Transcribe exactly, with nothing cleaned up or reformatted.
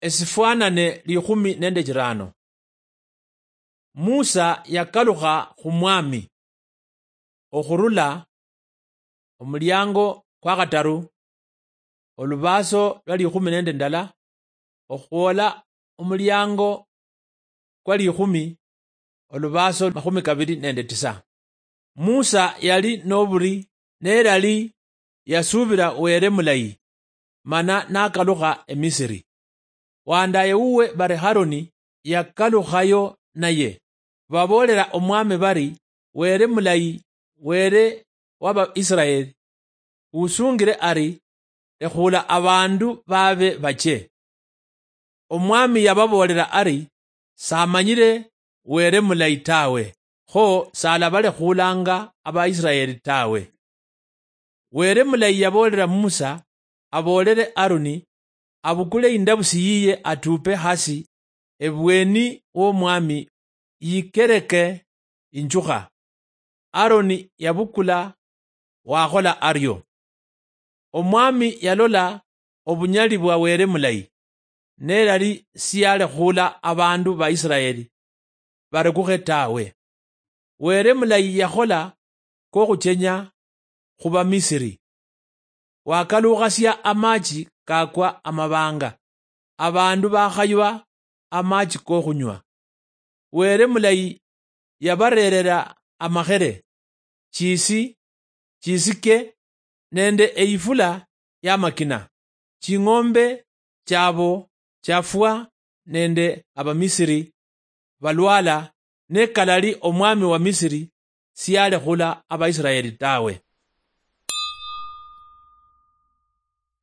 Esifwanane likhumi nende chirano. Musa yakalukha khu Mwami okhurula omuliango kwa khataru, olubaaso lwa likhumi nende ndala, okhwola omuliango kwa likhumi, olubaaso makhumi kabili nende tisa. Musa yali noburi, nelali yasubira Were mulayi, mana nakalukha Emisiri. Wandaye wuwe bari Haroni yakalukhayo naye. Baboolera Omwami bari, Were mulayi, Were wa Baisiraeli, usungire ari, lekhuula abandu babe bache. Omwami yababoolera ari, samanyire Were mulayi tawe, kho salabalekhuulanga Abaisiraeli tawe. Were mulayi yaboolera Musa aboolere Aroni abukule indabusi yiye atupe hasi ebweni w'Omwami yikereke injukha. Aroni yabukula, wakhola ario. Omwami yalola obunyali bwa Were mulayi, nelali siyalekhuula abandu ba Isiraeli barekukhe tawe. Were mulayi yakhola kokhuchenya khu Bamisiri. Wakalukhasia amachi kakwa amabanga, abandu bakhaywa amachi kokhunywa. Were mulayi yabarerera amakhere, chisi, chisike, nende eyifula yamakina. Ching'ombe chabo chafwa nende Abamisiri balwala, ne kalali omwami wa Misiri siyalekhula Abaisiraeli tawe.